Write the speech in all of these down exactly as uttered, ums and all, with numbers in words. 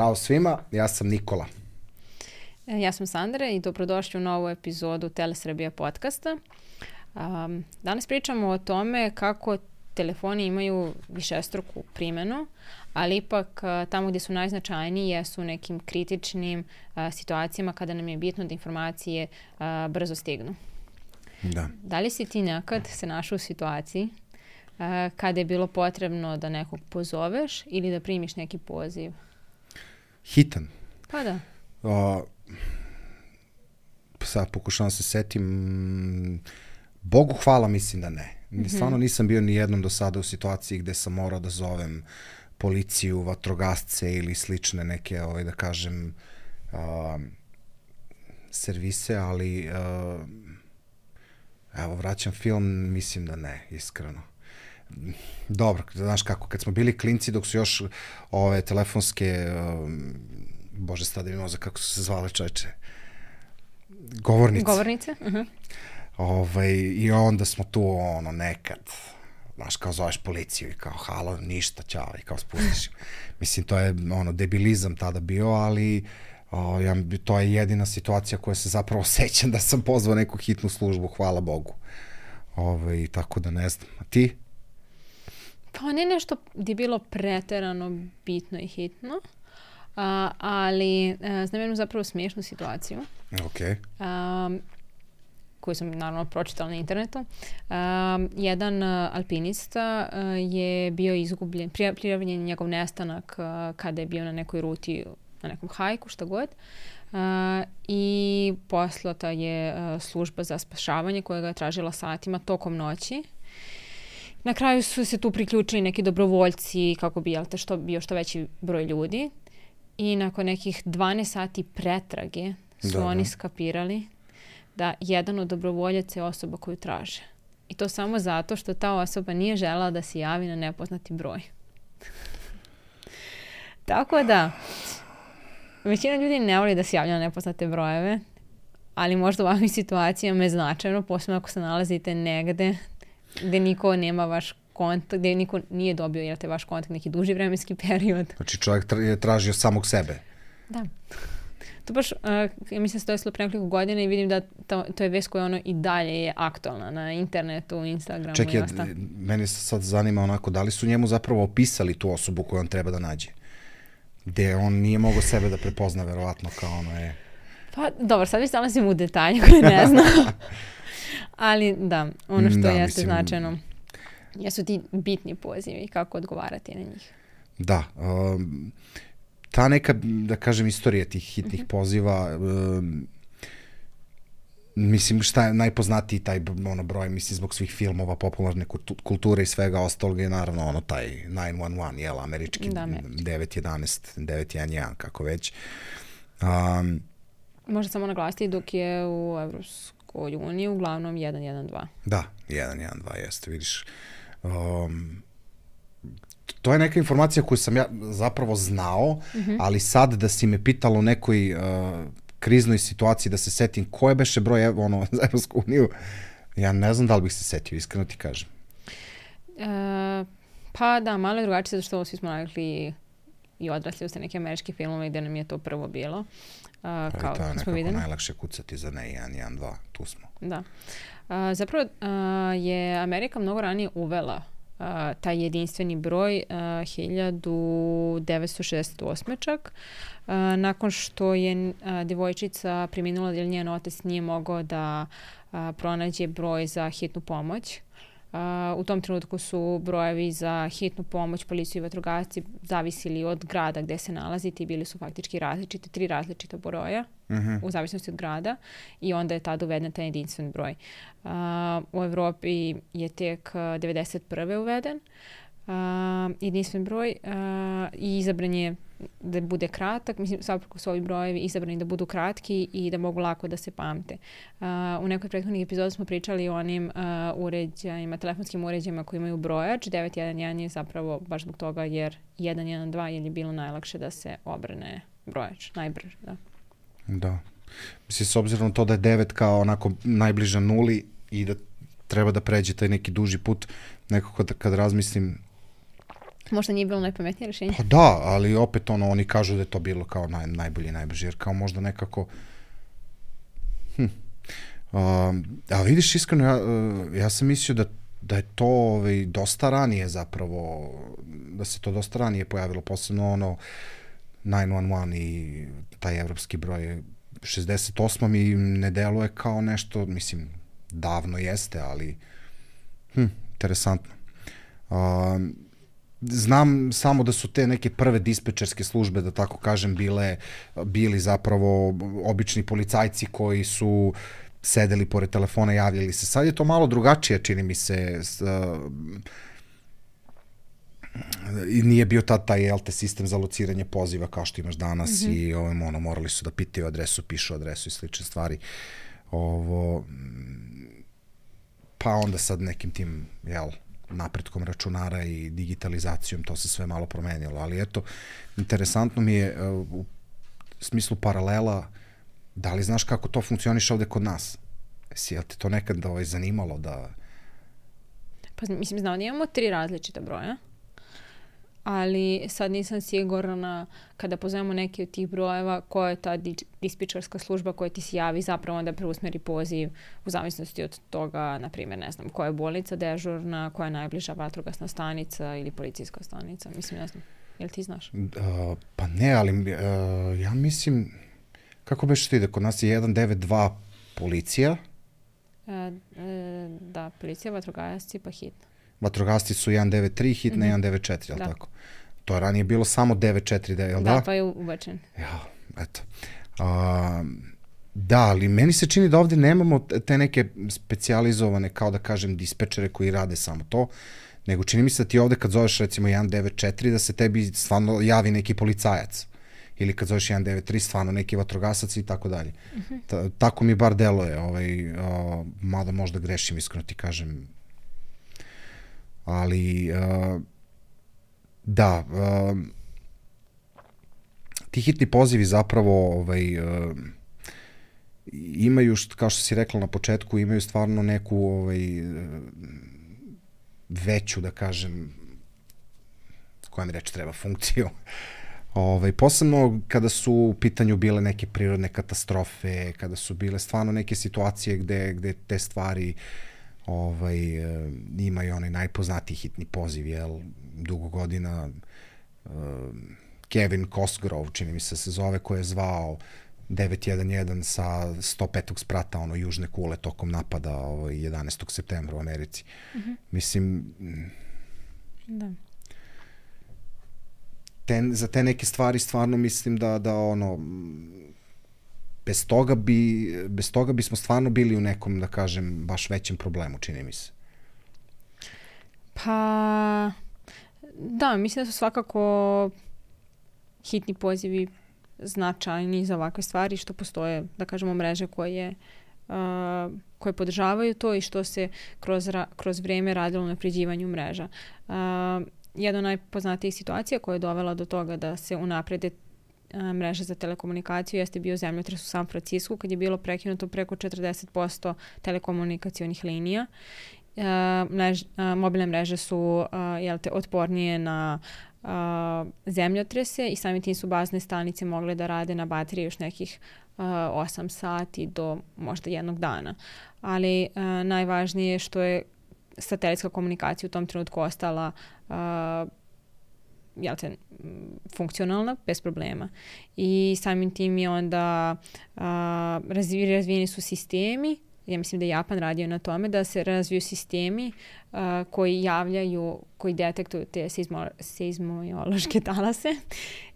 Zdravo svima, ja sam Nikola. Ja sam Sandra i dobrodošli u novu epizodu Telesrbija podcasta. Um, danas pričamo o tome kako telefoni imaju višestruku primjenu, ali ipak uh, tamo gdje su najznačajniji jesu u nekim kritičnim uh, situacijama kada nam je bitno da informacije uh, brzo stignu. Da. Da li si ti nekad se našao u situaciji uh, kada je bilo potrebno da nekog pozoveš ili da primiš neki poziv? Hitan. Pa da. O, sad pokušavam se setim, Bogu hvala mislim da ne. Mm-hmm. Stvarno nisam bio ni jednom do sada u situaciji gde sam morao da zovem policiju, vatrogasce ili slične neke, ovaj, da kažem, uh, servise, ali uh, evo, vraćam film, mislim da ne, iskreno. Dobro, znaš kako, kad smo bili klinci, dok su još ove telefonske, uh, bože, sada imamo za kako su se zvale, čoveče, govornice. Govornice? Uh-huh. Ovaj, i onda smo tu, ono, nekad, znaš, kao zoveš policiju i kao, halo, ništa, ćao, i kao spustiš. Mislim, to je, ono, debilizam tada bio, ali o, ja, to je jedina situacija koja se zapravo sećam da sam pozvao neku hitnu službu, hvala Bogu. Ovaj, tako da ne znam. A ti? Pa ne nešto gdje je bilo preterano bitno i hitno, a, ali a, znam jednu zapravo smiješnu situaciju. Okej. Okay. Koju sam naravno pročitala na internetu. Um, jedan uh, alpinista uh, je bio izgubljen, prijavljen njegov nestanak uh, kada je bio na nekoj ruti, na nekom hajku, šta god. Uh, I poslata je uh, služba za spašavanje koja ga je tražila satima tokom noći. Na kraju su se tu priključili neki dobrovoljci kako bi jel te, što, bio što veći broj ljudi. I nakon nekih dvanaest sati pretrage su da, oni da. skapirali da jedan od dobrovoljaca je osoba koju traže. I to samo zato što ta osoba nije želela da se javi na nepoznati broj. Tako da, većina ljudi ne voli da se javlja na nepoznate brojeve, ali možda u ovakvim situacijama je značajno, posebno ako se nalazite negde gde niko nema vaš kontakt, gde niko nije dobio jer te vaš kontakt neki duži vremenski period. Znači čovjek tra- je tražio samog sebe. Da. To baš, uh, ja mislim se to je slo pre nekoliko godina i vidim da to, to je vest koja ono i dalje je aktualna na internetu, Instagramu Čekaj, i ostalo. meni se sad zanima onako, da li su njemu zapravo opisali tu osobu koju on treba da nađe? Gde on nije mogao sebe da prepozna, verovatno, kao ono je... Pa, dobro, sad već nalazim u detalje koje ne znam. Ali da, ono što da, jeste mislim, značajno jesu ti bitni pozivi i kako odgovarati na njih. Da, um, ta neka, da kažem, istorija tih hitnih uh-huh. poziva, um, mislim, šta je najpoznatiji taj ono, broj, mislim, zbog svih filmova, popularne kulture i svega ostalog je naravno ono taj devet jedan jedan, jel, američki, da, devet jedanaest, devet jedan jedan, kako već. Um, Možda samo naglasiti dok je u Evropskoj uniji uglavnom jedan jedan dva. Da, jedan jedan dva jeste, vidiš. Um, To je neka informacija koju sam ja zapravo znao, mm-hmm. ali sad da si me pitalo o nekoj uh, kriznoj situaciji da se setim koje beše broj ono, za Evropsku uniju, ja ne znam da li bih se setio, iskreno ti kažem. E, pa da, malo je drugačije, zato što svi smo navikli i odrasli u se neke američke filmove gde nam je to prvo bilo. Uh, pa kao, to je nekako videli. Najlakše kucati za ne jedan jedan dva, tu smo. Da. Uh, zapravo uh, je Amerika mnogo ranije uvela Uh, taj jedinstveni broj uh, hiljadu devetsto šezdeset osme čak. Uh, nakon što je uh, djevojčica preminula jer njen otac nije mogao da uh, pronađe broj za hitnu pomoć. Uh, u tom trenutku su brojevi za hitnu pomoć, policiju i vatrogasci zavisili od grada gde se nalazite i bili su faktički različiti, tri različita broja mm-hmm. u zavisnosti od grada i onda je tada uveden taj jedinstven broj. Uh, u Evropi je tek devedeset prve uveden uh, jedinstven broj uh, i izabran je da bude kratak, mislim svakako su ovi brojevi izabrani da budu kratki i da mogu lako da se pamte. Uh, u nekoj prethodnih epizoda smo pričali o onim uh, uređajima, telefonskim uređajima koji imaju brojač. devet jedan jedan je zapravo baš zbog toga jer jedan jedan dva je bilo najlakše da se obrne brojač, najbrže, da. Da. Mislim, s obzirom to da je devet kao onako najbliža nuli i da treba da pređe taj neki duži put, nekako kad, kad razmislim Možda nije bilo najpametnije rešenje. Pa da, ali opet ono, oni kažu da je to bilo kao naj, najbolje i najbrže, jer kao možda nekako... Hm. Uh, a vidiš, iskreno, ja, uh, ja sam mislio da, da je to ovaj, dosta ranije zapravo, da se to dosta ranije pojavilo, posebno ono devet jedan jedan i taj evropski broj šezdeset osam mi ne deluje kao nešto, mislim, davno jeste, ali hm, interesantno. Uh, znam samo da su te neke prve dispečerske službe, da tako kažem, bile, bili zapravo obični policajci koji su sedeli pored telefona, javljali se. Sad je to malo drugačije, čini mi se. I nije bio tad taj, jel te, sistem za lociranje poziva kao što imaš danas mm-hmm. i ovim, ono, morali su da pitaju adresu, pišu adresu i slične stvari. Ovo, pa onda sad nekim tim, jel, napretkom računara i digitalizacijom to se sve malo promenilo, ali eto, interesantno mi je u smislu paralela, da li znaš kako to funkcioniše ovde kod nas? Jesi, jel te to nekad ovaj, zanimalo da... Pa mislim, znao da imamo tri različita broja, ali sad nisam sigurna kada pozovemo neki od tih brojeva koja je ta dispečerska služba koja ti se javi zapravo onda preusmeri poziv u zavisnosti od toga, na primjer, ne znam, koja je bolnica dežurna, koja je najbliža vatrogasna stanica ili policijska stanica. Mislim, ne znam, jel ti znaš? Uh, pa ne, ali uh, ja mislim, kako beš ti ide, kod nas je jedan devet dva policija? E, e, da, policija, vatrogasci pa hitna. Vatrogasci su jedan devet tri, hitna mm-hmm. jedan devet četiri, jel da. Tako? To je ranije bilo samo devet četiri, jel da? Da, pa je ubačen. Ja, eto. A, da, ali meni se čini da ovde nemamo te neke specijalizovane, kao da kažem, dispečere koji rade samo to, nego čini mi se da ti ovde kad zoveš recimo jedan devet četiri da se tebi stvarno javi neki policajac. Ili kad zoveš jedan devet tri, stvarno neki vatrogasac i tako dalje. Ta, tako mi bar deluje, ovaj, uh, mada možda grešim, iskreno ti kažem. Ali, uh, da, uh, ti hitni pozivi zapravo ovaj, uh, imaju, kao što si rekla na početku, imaju stvarno neku ovaj, veću, da kažem, koja mi reći treba, funkciju. Ovaj, posebno kada su u pitanju bile neke prirodne katastrofe, kada su bile stvarno neke situacije gde, gde te stvari ovaj, imaju onaj najpoznatiji hitni poziv, jel, dugo godina uh, Kevin Cosgrove, čini mi se se zove, ko je zvao devet jedan jedan sa sto petog sprata, ono, južne kule tokom napada ovaj, jedanaestog septembra u Americi. Mm-hmm. Mislim, da. Te, za te neke stvari stvarno mislim da, da ono, bez toga bi, bez toga bismo stvarno bili u nekom, da kažem, baš većem problemu, čini mi se. Pa, da, mislim da su svakako hitni pozivi značajni za ovakve stvari, što postoje, da kažemo, mreže koje, uh, koje podržavaju to i što se kroz, ra, kroz vreme radilo na napređivanju mreža. Uh, Jedna od najpoznatijih situacija koja je dovela do toga da se unaprede mreže za telekomunikaciju jeste bio zemljotres u San Francisku, kad je bilo prekinuto preko četrdeset posto telekomunikacionih linija. Mrež, mobilne mreže su jel te, otpornije na zemljotrese i samim tim su bazne stanice mogle da rade na baterije još nekih osam sati do možda jednog dana. Ali najvažnije je što je satelitska komunikacija u tom trenutku ostala uh, jel te, funkcionalna, bez problema. I samim tim je onda uh, razvi, razvijeni su sistemi, ja mislim da je Japan radio na tome, da se razviju sistemi uh, koji javljaju, koji detektuju te seizmo, seizmološke talase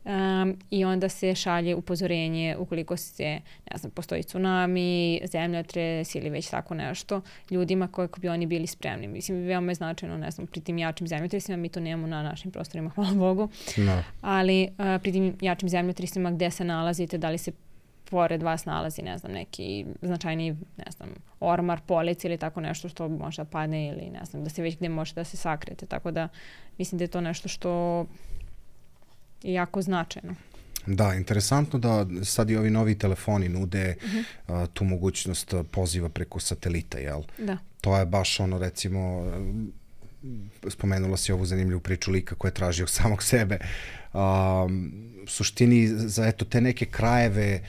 um, i onda se šalje upozorenje ukoliko se, ne znam, postoji tsunami, zemljotres ili već tako nešto, ljudima kako bi oni bili spremni. Mislim, veoma je značajno, ne znam, pri tim jačim zemljotresima, mi to nemamo na našim prostorima, hvala Bogu, no. ali uh, pri tim jačim zemljotresima gde se nalazite, da li se pored vas nalazi, ne znam, neki značajni, ne znam, ormar, polic ili tako nešto što može da padne ili ne znam, da se već gde može da se sakrete. Tako da mislim da je to nešto što je jako značajno. Da, interesantno da sad i ovi novi telefoni nude uh-huh. uh, tu mogućnost poziva preko satelita, jel? Da. To je baš ono, recimo, spomenula si ovu zanimljivu priču lika koja je tražio samog sebe. Um, u suštini, za eto, te neke krajeve,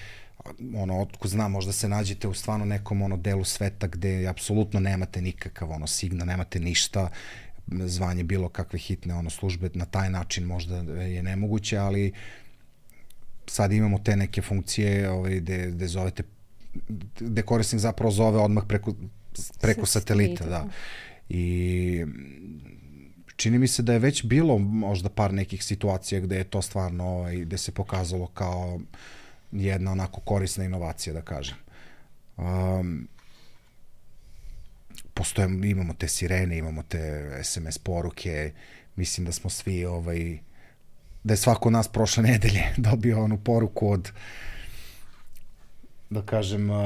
ono, otko znam, možda se nađete u stvarno nekom ono delu sveta gde apsolutno nemate nikakav ono signal, nemate ništa, zvanje bilo kakve hitne ono službe, na taj način možda je nemoguće, ali sad imamo te neke funkcije ovaj, gde, gde zovete, gde korisnik zapravo zove odmah preko, preko satelita, da. I čini mi se da je već bilo možda par nekih situacija gde je to stvarno, ovaj, gde se pokazalo kao jedna onako korisna inovacija, da kažem. Um, postoje, imamo te sirene, imamo te es em es poruke, mislim da smo svi, ovaj, da je svako od nas prošle nedelje dobio onu poruku od, da kažem, uh,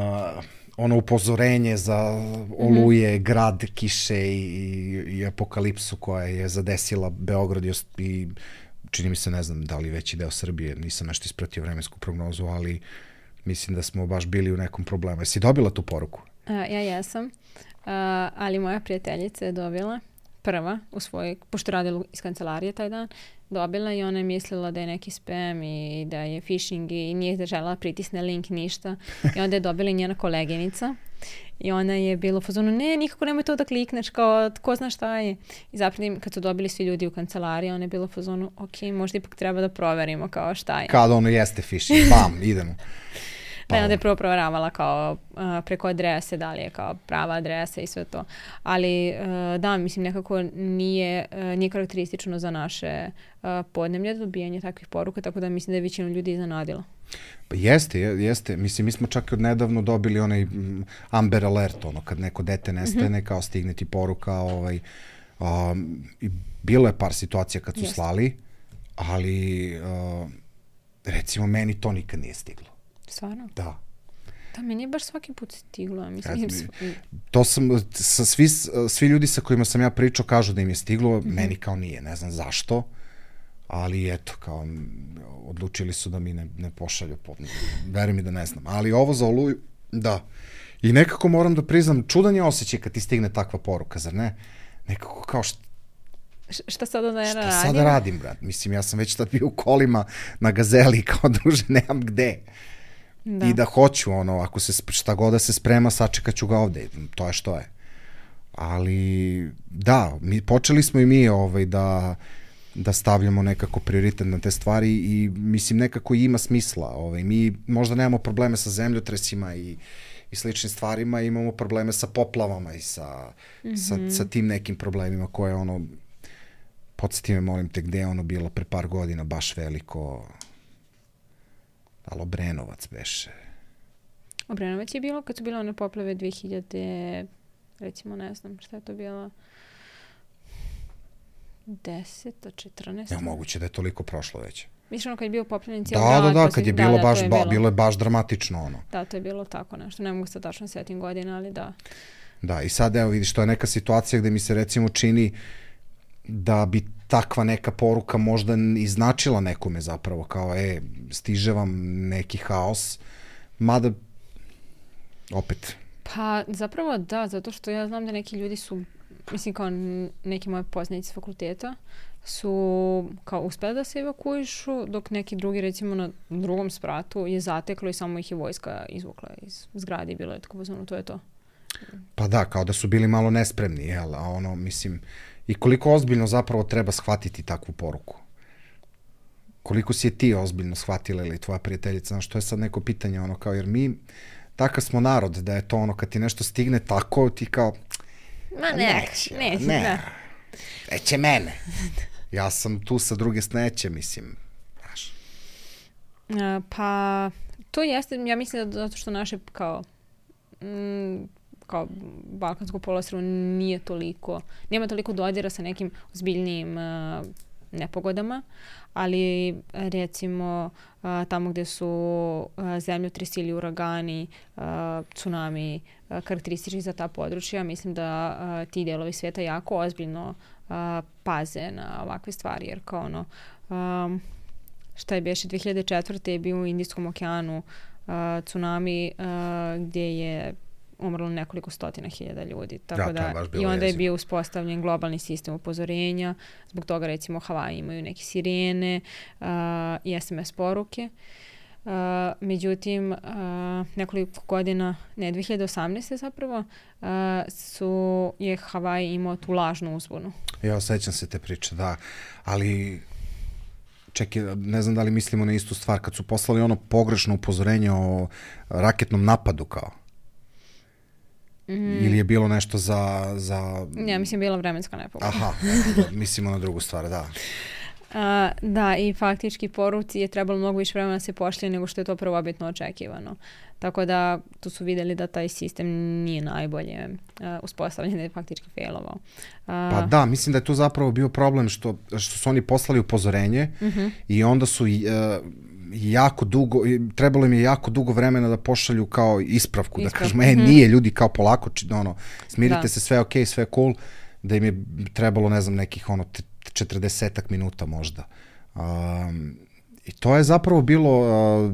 ono upozorenje za oluje, mm-hmm. grad, kiše i, i, i apokalipsu koja je zadesila Beograd i, i čini mi se, ne znam da li veći deo Srbije, nisam nešto ispratio vremensku prognozu, ali mislim da smo baš bili u nekom problemu. Jesi dobila tu poruku? A, ja jesam, A, ali moja prijateljica je dobila prva u svojoj, pošto radila iz kancelarije taj dan, dobila i ona je mislila da je neki spam i da je phishing i nije želela pritisne link, ništa. I onda je dobila i njena koleginica i ona je bila u fazonu, ne, nikako nemoj to da klikneš, kao, ko zna šta je. I zapravo kad su dobili svi ljudi u kancelariji, ona je bila u fazonu, ok, možda ipak treba da proverimo kao šta je. Kada ono jeste phishing, bam, idemo. Pa onda je prvo proveravala kao uh, preko adrese, da li je kao prava adresa i sve to. Ali uh, da, mislim, nekako nije, uh, nije karakteristično za naše uh, podneblje dobijanje takvih poruka, tako da mislim da je većinu ljudi iznenadila. Pa jeste, jeste. Mislim, mi smo čak od nedavno dobili onaj Amber Alert, ono, kad neko dete nestane, mm-hmm. kao stigne ti poruka, ovaj, um, i bilo je par situacija kad su jeste. Slali, ali uh, recimo meni to nikad nije stiglo. Stvarno? Da. Da, meni je baš svaki put stiglo. Mislim, ja, to sam, sa svi, svi ljudi sa kojima sam ja pričao kažu da im je stiglo, mm-hmm. meni kao nije, ne znam zašto, ali eto, kao, odlučili su da mi ne, ne pošalju, veri mi da ne znam. Ali ovo za Oluju, da. I nekako moram da priznam, čudan je osjećaj kad ti stigne takva poruka, zar ne? Nekako kao što šta sada da ja šta radim? Šta sada radim, brat? Mislim, ja sam već tad bio u kolima na Gazeli, kao druže, nemam gde. Da. I da hoću, ono, ako se, šta god da se sprema, sačekat ću ga ovde. To je što je. Ali, da, mi, počeli smo i mi ovaj, da, da stavljamo nekako prioritet na te stvari i, mislim, nekako ima smisla. Ovaj. Mi možda nemamo probleme sa zemljotresima i, i sličnim stvarima, imamo probleme sa poplavama i sa, mm-hmm. sa, sa tim nekim problemima koje, ono, podsjeti me, molim te, gde je ono bilo pre par godina baš veliko... Ali Obrenovac beše. Obrenovac je bilo kad su bile one poplave dve hiljade, recimo, ne znam šta je to bilo, deseta, četrnaesta. Ne, moguće da je toliko prošlo već. Misliš ono kad je bio poplavljen cijel da, grad? Da, da, pa kad si, je bilo da, baš, je ba, bilo. bilo je baš dramatično ono. Da, to je bilo tako nešto. Ne mogu se tačno setim godina, ali da. Da, i sad evo vidiš, to je neka situacija gde mi se recimo čini da bi takva neka poruka možda i značila nekome zapravo, kao, e, stiže vam neki haos, mada, opet. Pa, zapravo da, zato što ja znam da neki ljudi su, mislim, kao neki moji poznanici s fakulteta, su kao uspeli da se evakuišu, dok neki drugi, recimo, na drugom spratu je zateklo i samo ih je vojska izvukla iz zgrade i bilo je tako pozvano, to je to. Pa da, kao da su bili malo nespremni, jel, a ono, mislim, i koliko ozbiljno zapravo treba shvatiti takvu poruku? Koliko si je ti ozbiljno shvatila ili tvoja prijateljica? Znaš, to je sad neko pitanje, ono, kao, jer mi, takav smo narod, da je to ono, kad ti nešto stigne tako, ti kao, ma ne, neće, neće, ne, ne. neće mene. Ja sam tu sa druge sneće, mislim, znaš. A, pa, to jeste, ja mislim da zato što naše, kao, mm, kao balkansko poluostrvo nije toliko, nema toliko dodira sa nekim ozbiljnijim uh, nepogodama, ali recimo uh, tamo gde su uh, zemljotresi ili uragani, uh, tsunami, uh, karakteristični za ta područja, mislim da uh, ti delovi sveta jako ozbiljno uh, paze na ovakve stvari, jer kao ono, um, šta je beše, dve hiljade četvrte je bio u Indijskom okeanu uh, tsunami uh, gdje je umrlo nekoliko stotina hiljada ljudi. Tako ja, da, i onda je bio uspostavljen globalni sistem upozorenja. Zbog toga, recimo, Havaji imaju neke sirene uh, i es em es poruke. Uh, međutim, uh, nekoliko godina, ne, dve hiljade osamnaeste zapravo, uh, su, je Havaji imao tu lažnu uzbunu. Ja, osjećam se te priče, da. Ali, čekaj, ne znam da li mislimo na istu stvar, kad su poslali ono pogrešno upozorenje o raketnom napadu kao. Mm. Ili je bilo nešto za... za... Ja, mislim, bila vremenska nepogoda. Aha, mislimo na drugu stvar, da. Uh, da, i faktički poruci je trebalo mnogo više vremena da se pošlje nego što je to prvobitno očekivano. Tako da tu su vidjeli da taj sistem nije najbolje uh, uspostavljen, da je faktički failovao. Uh, pa da, mislim da je tu zapravo bio problem što, što su oni poslali upozorenje uh-huh. i onda su uh, jako dugo, trebalo im je jako dugo vremena da pošalju kao ispravku, Isprav. da kažemo, e, uh-huh. nije ljudi, kao polako, ono, smirite da. se, sve ok, sve cool, da im je trebalo, ne znam, nekih ono, četrdesetak minuta možda. Um, I to je zapravo bilo, uh,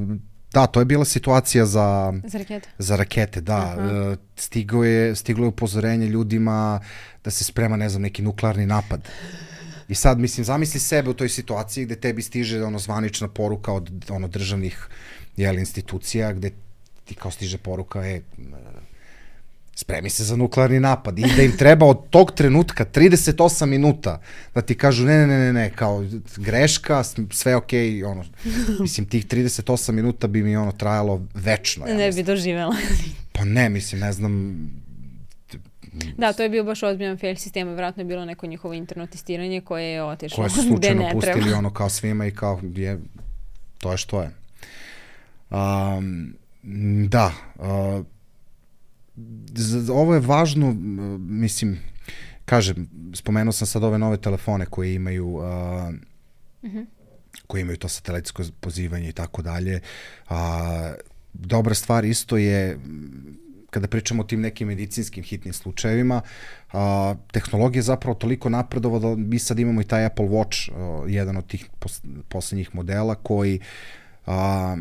da, to je bila situacija za, za rakete. Za rakete, da. Uh, stigo je, stiglo je upozorenje ljudima da se sprema, ne znam, neki nuklearni napad. I sad, mislim, zamisli sebe u toj situaciji gde tebi stiže ono zvanična poruka od ono državnih jel, institucija, gde ti kao stiže poruka, e, spremi se za nuklearni napad i da im treba od tog trenutka trideset osam minuta da ti kažu ne, ne, ne, ne, ne, kao greška, sve okej, okay, ono, mislim, tih trideset osam minuta bi mi ono trajalo večno. Ja ne mislim. bi doživjela. Pa ne, mislim, ne znam. Da, to je bio baš ozbiljan fail sistema, vjerojatno je bilo neko njihovo interno testiranje koje je otišlo koje su slučajno pustili ono kao svima i kao je, to je što je. Um, da, uh, ovo je važno, mislim, kažem, spomenuo sam sad ove nove telefone koje imaju uh, uh-huh. koje imaju to satelitsko pozivanje i tako dalje. Dobra stvar isto je, kada pričamo o tim nekim medicinskim hitnim slučajevima, a, tehnologija je zapravo toliko napredovala da mi sad imamo i taj Apple Watch, a, jedan od tih pos, poslednjih modela koji a,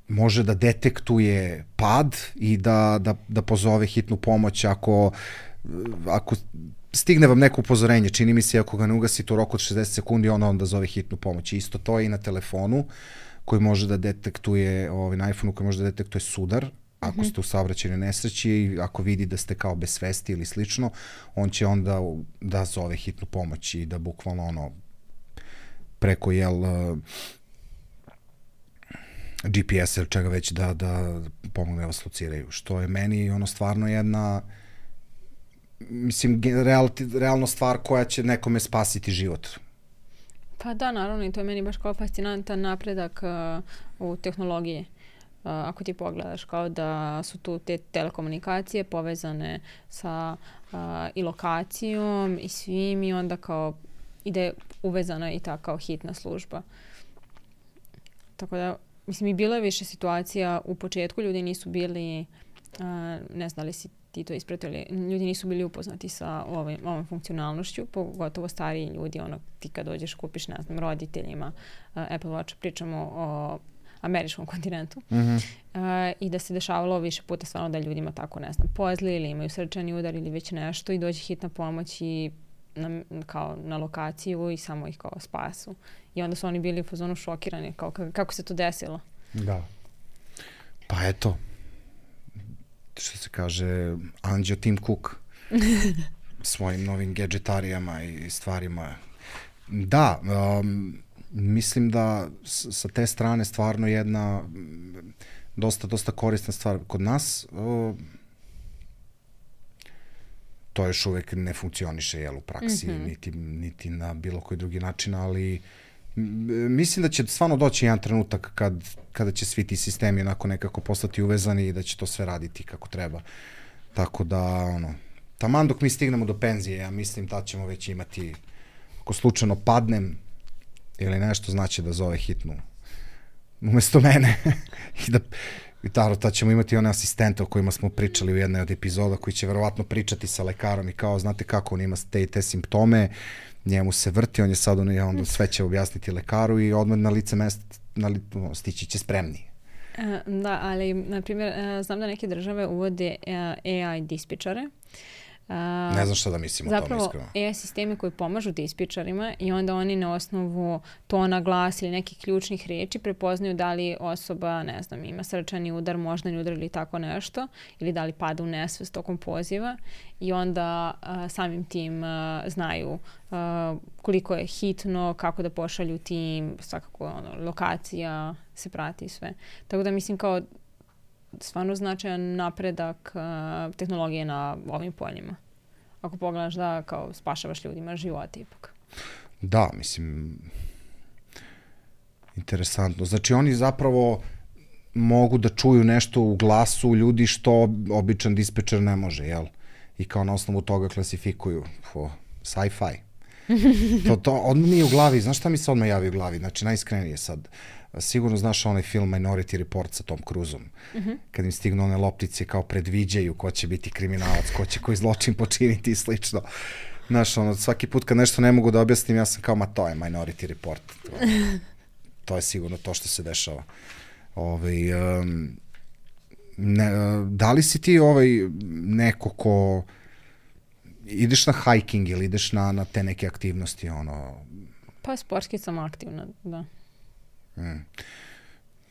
može da detektuje pad i da, da, da pozove hitnu pomoć ako, ako stigne vam neko upozorenje, čini mi se ako ga ne ugasite u roku od šezdeset sekundi, onda onda zove hitnu pomoć. Isto to je i na telefonu koji može da detektuje, ovaj, na iPhoneu koji može da detektuje sudar, ako ste u saobraćajnoj nesreći i ako vidi da ste kao bez svesti ili slično, on će onda da zove hitnu pomoć i da bukvalno ono preko jel G P S ili čega već da, da pomogne vas lociraju, što je meni ono stvarno jedna mislim real, realno stvar koja će nekome spasiti život. Pa da, naravno, i to je meni baš kao fascinantan napredak uh, u tehnologiji. Uh, ako ti pogledaš kao da su tu te telekomunikacije povezane sa uh, i lokacijom i svim i onda kao ide uvezana i ta kao hitna služba. Tako da, mislim, i bilo je više situacija u početku, ljudi nisu bili, uh, ne znam li si ti to ispratili, ljudi nisu bili upoznati sa ovim, ovom funkcionalnošću, pogotovo stariji ljudi, ono, ti kad dođeš kupiš, ne znam, roditeljima uh, Apple Watch, pričamo o američkom kontinentu, mm-hmm. uh, i da se dešavalo više puta stvarno da ljudima tako, ne znam, pozli ili imaju srčani udar ili već nešto i dođe hitna pomoć i na, kao na lokaciju i samo ih kao spasu. I onda su oni bili u fazonu šokirani, kao kako se to desilo. Da. Pa eto, što se kaže, anđeo Tim Cook svojim novim gadžetarijama i stvarima. Da, um, mislim da sa te strane stvarno jedna dosta, dosta korisna stvar. Kod nas uh, to još uvek ne funkcioniše jel, u praksi, mm-hmm. niti, niti na bilo koji drugi način, ali mislim da će stvarno doći jedan trenutak kad, kada će svi ti sistemi onako nekako postati uvezani i da će to sve raditi kako treba. Tako da, ono, taman dok mi stignemo do penzije, ja mislim da ćemo već imati, ako slučajno padnem ili nešto, znači da zove hitnu umesto mene i da i taro, tad ćemo imati one asistente o kojima smo pričali u jednoj od epizoda koji će verovatno pričati sa lekarom i kao, znate kako, on ima te i te simptome, njemu se vrti, on je sad, on, onda sve će objasniti lekaru i odmah na lice mesta na li, stići će spremniji. Da, ali, na primjer, znam da neke države uvode A I dispečare. Uh, ne znam šta da mislim o tome iskreno. Zapravo A I sistemi koji pomažu dispečarima i onda oni na osnovu tona glasa ili nekih ključnih reči prepoznaju da li osoba, ne znam, ima srčani udar, moždani udar ili tako nešto, ili da li pada u nesvest tokom poziva i onda uh, samim tim uh, znaju uh, koliko je hitno, kako da pošalju tim, svakako ono, lokacija se prati i sve. Tako da mislim kao stvarno značajan napredak uh, tehnologije na ovim poljima. Ako pogledaš da kao spašavaš ljudima živote ipak. Da, mislim, interesantno. Znači oni zapravo mogu da čuju nešto u glasu ljudi što običan dispečer ne može, jel? I kao na osnovu toga klasifikuju. Fo, sci-fi. to, to odmah mi je u glavi, znaš šta mi se odmah javi u glavi? Znači najiskrenije sad. Sigurno znaš onaj film Minority Report sa Tom Cruiseom. Mm-hmm. Kad im stignu one loptice kao predviđaju ko će biti kriminalac, ko će koji zločin počiniti i slično. Znaš, ono, svaki put kad nešto ne mogu da objasnim, ja sam kao, ma to je Minority Report. To, to je sigurno to što se dešava. Ovaj, um, ne, da li si ti ovaj neko ko ideš na hiking ili ideš na, na te neke aktivnosti? Ono... Pa sportski sam aktivna, da. Mm.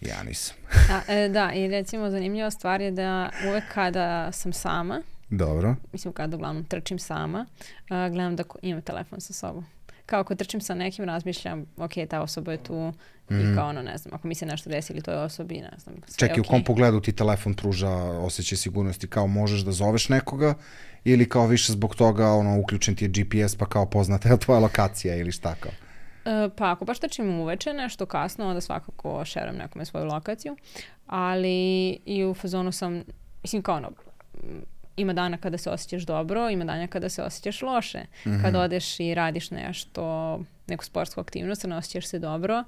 Ja nisam. A, e, da, i recimo zanimljiva stvar je da uvek kada sam sama, dobro, mislim kada uglavnom trčim sama, uh, gledam da imam telefon sa sobom. Kao ako trčim sa nekim, razmišljam, ok, ta osoba je tu mm. i kao ono, ne znam, ako mi se nešto desi ili toj osobi, ne znam. Čekaj, okay. U kom pogledu ti telefon pruža osjećaj sigurnosti? Kao možeš da zoveš nekoga ili kao više zbog toga ono, uključen ti je G P S pa kao poznata je tvoja lokacija ili šta kao? Pa ako baš trčim uveče nešto kasno, onda svakako šeram nekome svoju lokaciju, ali i u fazonu sam, mislim kao ono, ima dana kada se osjećaš dobro, ima dana kada se osjećaš loše. Mm-hmm. Kad odeš i radiš nešto, neku sportsku aktivnost, ne osjećaš se dobro,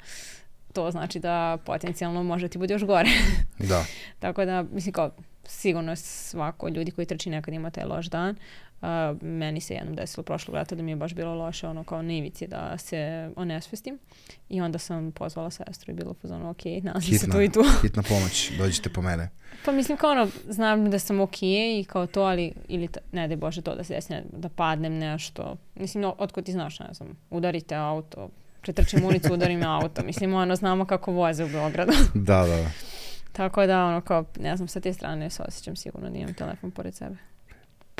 to znači da potencijalno može ti bude još gore. Da. Tako da, mislim kao, sigurno svako ljudi koji trči nekad ima taj loš dan. Uh, meni se jednom desilo prošlog leta da mi je baš bilo loše, ono kao na ivici da se onesvestim i onda sam pozvala sestru i bilo pozvano ok, nalazim se tu i tu. Hitna pomoć, dođite po mene. Pa mislim kao ono, znam da sam ok i kao to, ali ili ta, ne daj Bože to da se desi, ne, da padnem nešto. Mislim, no, otkud ti znaš, ne znam, udarite auto, pretrčim ulicu, udarim auto. Mislim, ono, znamo kako voze u Beogradu. Da, da. Tako da, ono, kao, ne znam, sa te strane se osjećam sigurno da imam telefon pored sebe.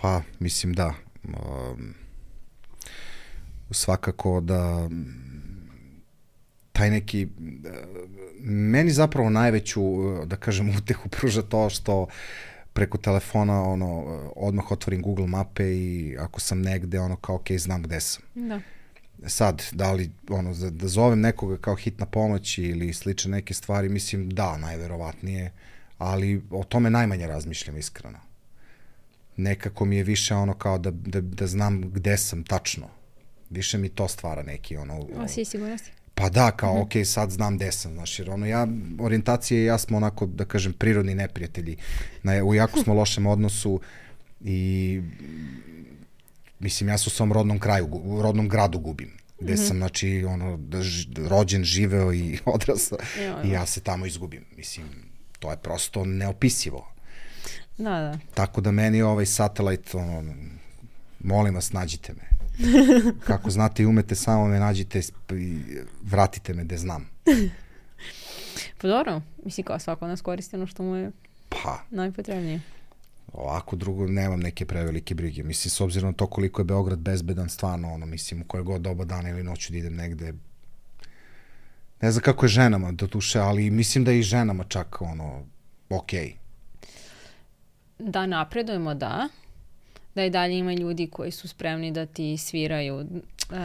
Pa, mislim da. Um, svakako da taj neki, meni zapravo najveću, da kažem, utehu pruža to što preko telefona ono, odmah otvorim Google mape i ako sam negde, ono kao ok, znam gde sam. Da. Sad, da li ono, da zovem nekoga kao hitna pomoć ili slične neke stvari, mislim da, najverovatnije, ali o tome najmanje razmišljam iskreno. Nekako mi je više ono kao da, da, da znam gde sam tačno. Više mi to stvara neki ono... Osjećaj sigurnosti. Pa da, kao mm-hmm. ok, sad znam gde sam, znaš, jer ono ja, orijentacije i ja smo onako, da kažem, prirodni neprijatelji. Na, u jako smo lošem odnosu i mislim, ja se u svom rodnom kraju, u rodnom gradu gubim. Gde mm-hmm. sam, znači, ono, da ž, rođen, živeo i odrastao i ja se tamo izgubim. Mislim, to je prosto neopisivo. Da, da. Tako da meni ovaj satelit, ono, molim vas, nađite me. Kako znate i umete, samo me nađite i vratite me gde znam. Pa dobro, mislim kao svako nas koristi ono što mu je pa, najpotrebnije. Ovako drugo, nemam neke prevelike brige. Mislim, s obzirom na to koliko je Beograd bezbedan, stvarno, ono, mislim, u koje god doba dana ili noću da idem negde. Ne znam kako je ženama do duše, ali mislim da je i ženama čak, ono, okej. Okay. Da napredujemo, da. Da i dalje ima ljudi koji su spremni da ti sviraju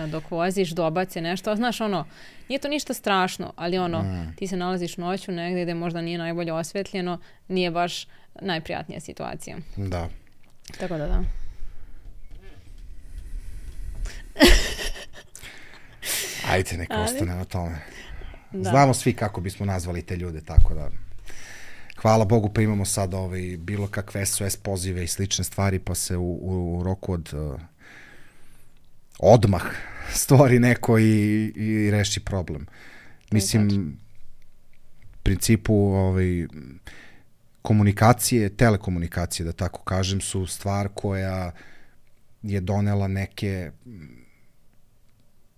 dok voziš, dobace nešto. Znaš, ono, nije to ništa strašno, ali ono, mm. ti se nalaziš noću negde gde možda nije najbolje osvetljeno, nije baš najprijatnija situacija. Da. Tako da, da. Ajde, neka ali... ostane na tome. Da. Znamo svi kako bismo nazvali te ljude, tako da... Hvala Bogu, pa imamo sad ovaj, bilo kakve S O S pozive i slične stvari, pa se u, u roku od uh, odmah stvori neko i, i reši problem. Mislim, principu ovaj, komunikacije, telekomunikacije, da tako kažem, su stvar koja je donela neke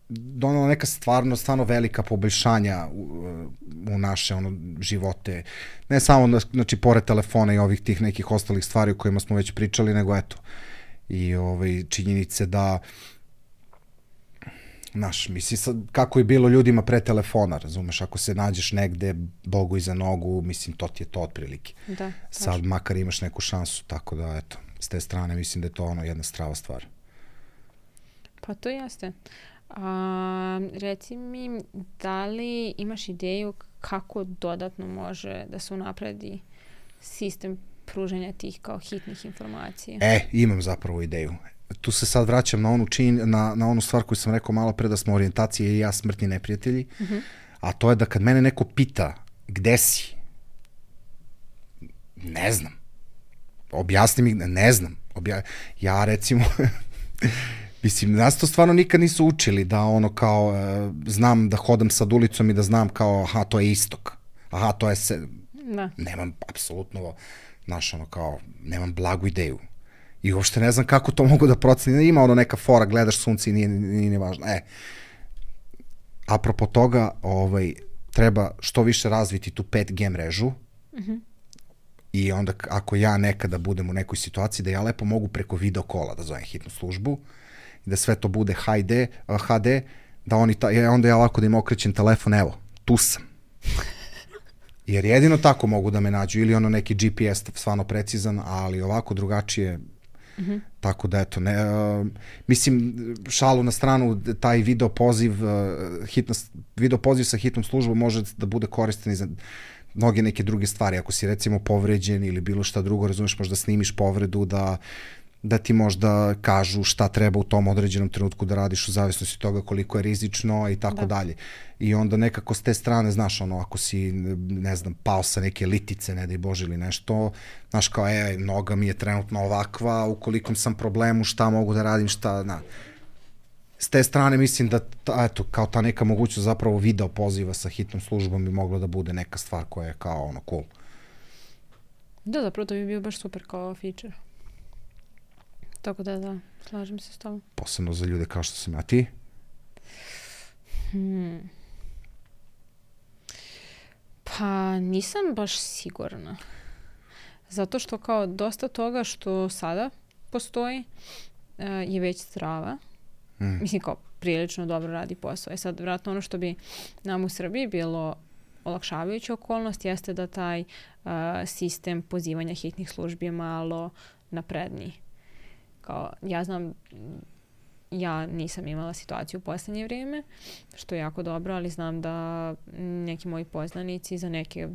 donela neka stvarno, stvarno velika poboljšanja u, u naše ono, živote. Ne samo, znači, pored telefona i ovih tih nekih ostalih stvari o kojima smo već pričali, nego eto, i ovaj, činjenice da znaš, misli sad kako je bilo ljudima pre telefona, razumeš, ako se nađeš negde, Bogu iza nogu, mislim, to ti je to otprilike. Da, sad makar imaš neku šansu, tako da, eto, s te strane mislim da je to ono jedna strava stvar. Pa to jeste. A, reci mi, da li imaš ideju kako dodatno može da se unapredi sistem pružanja tih kao hitnih informacija? E, imam zapravo ideju. Tu se sad vraćam na onu, čin, na, na onu stvar koju sam rekao malo pre, da smo orijentacije i ja smrtni neprijatelji, uh-huh. a to je da kad mene neko pita gde si, ne znam. Objasni mi, ne znam. Obja... Ja recimo, mislim, nas to stvarno nikad nisu učili, da ono kao, uh, znam da hodam sad ulicom i da znam kao, aha, to je istok. Aha, to je se... Da. Nemam, apsolutno, znaš, ono kao, nemam blagu ideju. I uopšte ne znam kako to mogu da proceni. Ima ono neka fora, gledaš sunce i nije, nije, nije važno. E, apropo toga, ovaj, treba što više razviti tu pet G mrežu uh-huh. i onda ako ja nekada budem u nekoj situaciji, da ja lepo mogu preko video kola da zovem hitnu službu i da sve to bude H D, H D, da oni ta, onda ja lako da im okrećem telefon, evo, tu sam. Jer jedino tako mogu da me nađu, ili ono neki G P S stvarno precizan, ali ovako drugačije. Mm-hmm. Tako da, eto, ne, uh, mislim, šalu na stranu, taj video poziv, uh, hitna, video poziv sa hitnom službom može da bude koristan i za mnoge neke druge stvari. Ako si recimo povređen ili bilo šta drugo, razumeš, možda snimiš povredu, da, da ti možda kažu šta treba u tom određenom trenutku da radiš u zavisnosti od toga koliko je rizično i tako da. dalje. I onda nekako s te strane, znaš, ono, ako si, ne znam, pao sa neke litice, ne daj Bože ili nešto, znaš, kao, e, noga mi je trenutno ovakva, ukoliko sam problemu, šta mogu da radim, šta, na. S te strane mislim da, ta, eto, kao ta neka mogućnost zapravo video poziva sa hitnom službom bi mogla da bude neka stvar koja je kao, ono, cool. Da, zapravo to bi bio baš super kao feature. Tako da, da, slažem se s tobom. Posebno za ljude kao što sam ja. Ti? Hmm. Pa nisam baš sigurna. Zato što kao dosta toga što sada postoji uh, je već strava. Hmm. Mislim kao prilično dobro radi posao. E sad, vratno ono što bi nam u Srbiji bilo olakšavajuća okolnost jeste da taj uh, sistem pozivanja hitnih službi je malo napredniji. Kao, ja znam, ja nisam imala situaciju u poslednje vrijeme, što je jako dobro, ali znam da neki moji poznanici za neke uh,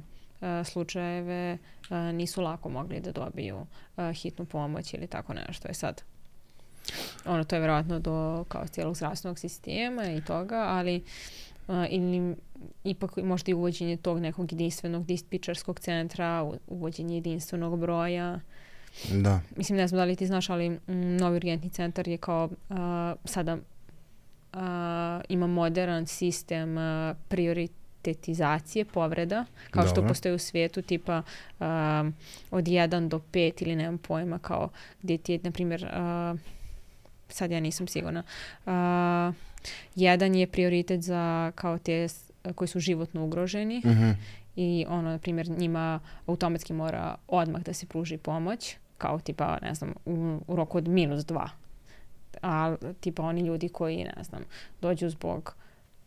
slučajeve uh, nisu lako mogli da dobiju uh, hitnu pomoć ili tako nešto. Je sad, ono, to je vjerojatno do kao cijelog zdravstvenog sistema i toga, ali uh, ili ipak možda i uvođenje tog nekog jedinstvenog dispečerskog centra, uvođenje jedinstvenog broja. Da. Mislim, ne znam da li ti znaš, ali m, novi urgentni centar je kao uh, sada uh, ima modern sistem uh, prioritetizacije povreda, kao Dobro. što postoji u svijetu, tipa uh, od jedan do pet ili nemam pojma, kao gdje ti je, na primjer, uh, sad ja nisam sigurna, uh, jedan je prioritet za kao te koji su životno ugroženi, uh-huh. i ono, na primjer, njima automatski mora odmah da se pruži pomoć, kao tipa, ne znam, u, u roku od minus dva. A tipa oni ljudi koji, ne znam, dođu zbog,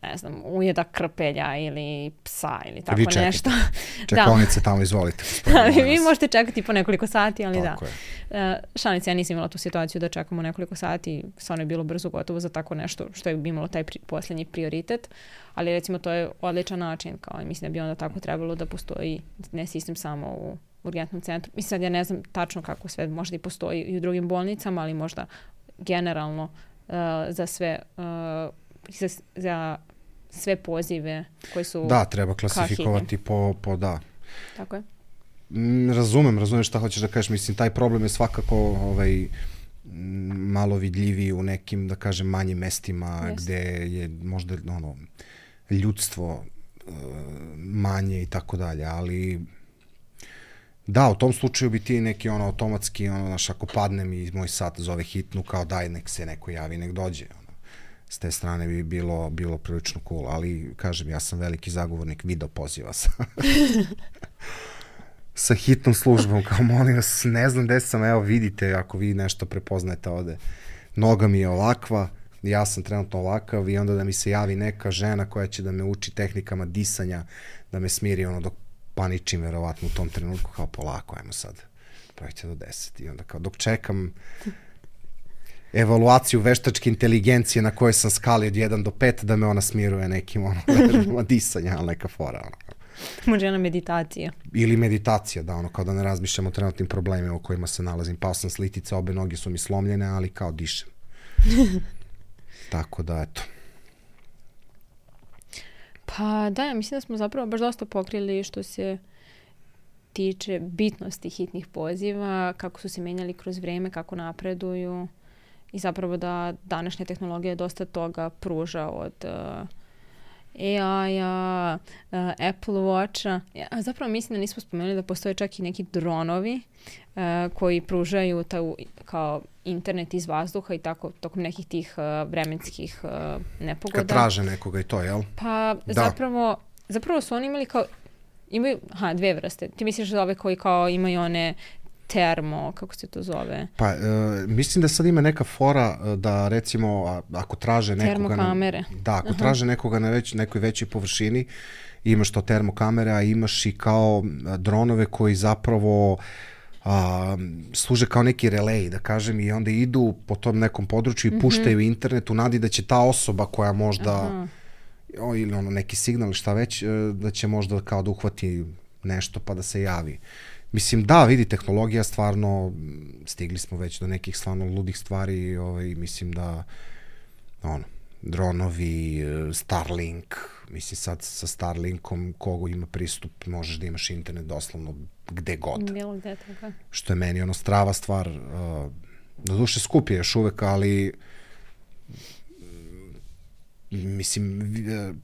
ne znam, ujeda krpelja ili psa ili tako vi nešto. Čekonice tamo, izvolite. Da, vi možete čekati po nekoliko sati, ali tako da. Uh, šalice, ja nisam imala tu situaciju da čekamo nekoliko sati, stvarno je bilo brzo gotovo za tako nešto što je imalo taj pri, posljednji prioritet, ali recimo to je odličan način, kao mislim da bi onda tako trebalo da postoji ne sistem samo u urgentnom centru. Mislim, sad ja ne znam tačno kako sve možda i postoji i u drugim bolnicama, ali možda generalno uh, za sve uh, za, za sve pozive koji su da, treba klasifikovati po, po da. Tako je. Mm, razumem, razumem šta hoćeš da kažeš. Mislim, taj problem je svakako ovaj, malo vidljiviji u nekim, da kažem, manjim mestima yes. gde je možda ono, ljudstvo manje i tako dalje, ali da, u tom slučaju bi ti neki ono automatski, ono, znaš, ako padnem i moj sat zove hitnu, kao daj, nek se neko javi, nek dođe, ono. S te strane bi bilo, bilo prilično cool, ali, kažem, ja sam veliki zagovornik video poziva sa, sa hitnom službom, kao molim vas, ne znam gde sam, evo vidite, ako vi nešto prepoznajete ovde, noga mi je ovakva, ja sam trenutno ovakav i onda da mi se javi neka žena koja će da me uči tehnikama disanja, da me smiri ono dok paničim verovatno u tom trenutku, kao polako, ajmo sad, pravite do deset i onda kao dok čekam evaluaciju veštačke inteligencije na kojoj sam skali od jedan do pet da me ona smiruje nekim ono disanja, ali neka fora. Ono. Može jedna meditacija. Ili meditacija, da, ono, kao da ne razmišljam o trenutnim problemima u kojima se nalazim. Pao sam s litice, obe noge su mi slomljene, ali kao dišem. Tako da, eto. Pa da, ja mislim da smo zapravo baš dosta pokrili što se tiče bitnosti hitnih poziva, kako su se menjali kroz vreme, kako napreduju i zapravo da današnja tehnologija dosta toga pruža od uh, A I-a, uh, Apple Watcha. Ja, zapravo mislim da nismo spomenuli da postoje čak i neki dronovi uh, koji pružaju ta, kao internet iz vazduha i tako tokom nekih tih uh, vremenskih uh, nepogoda. Kad traže nekoga i to, jel? Pa da. zapravo, zapravo su oni imali kao, imaju, aha, dve vrste. Ti misliš da ove koji kao imaju one termo, kako se to zove? Pa, e, mislim da sad ima neka fora da recimo a, ako traže nekoga... Termokamere. Na, da, ako Aha. traže nekoga na već, nekoj većoj površini, imaš to termokamere, a imaš i kao dronove koji zapravo a, služe kao neki relej, da kažem, i onda idu po tom nekom području i puštaju mm-hmm. internet u nadi da će ta osoba koja možda... O, ili ono neki signal ili šta već, da će možda kao da uhvati nešto pa da se javi. Mislim, da, vidi, tehnologija stvarno, stigli smo već do nekih stvarno ludih stvari, ovaj, mislim da, ono, dronovi, Starlink, mislim sad sa Starlinkom, kogo ima pristup, možeš da imaš internet doslovno gde god. Bilo gde toga. Što je meni ono strava stvar, uh, do duše skup je još uvek, ali mislim, uh,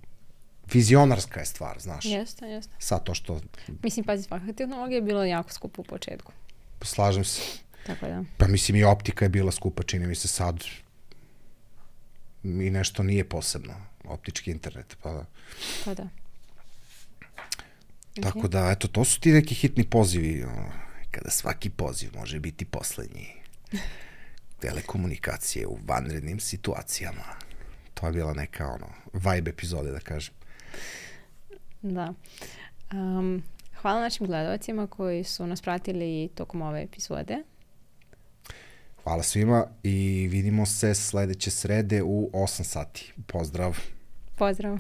vizionarska je stvar, znaš. Jeste, jeste. Sad to što... Mislim, pazi, svaka tehnologija je bila jako skupa u početku. Slažem se. Tako da. Pa mislim i optika je bila skupa, čini mi se sad i nešto nije posebno, optički internet, pa da. Pa da. Tako okay. da, eto, to su ti neki hitni pozivi, kada svaki poziv može biti poslednji. Telekomunikacije u vanrednim situacijama. To je bila neka, ono, vibe epizode, da kažem. Da. Um, hvala našim gledalcima koji su nas pratili tokom ove epizode. Hvala svima i vidimo se sledeće srede u osam sati. Pozdrav. Pozdrav.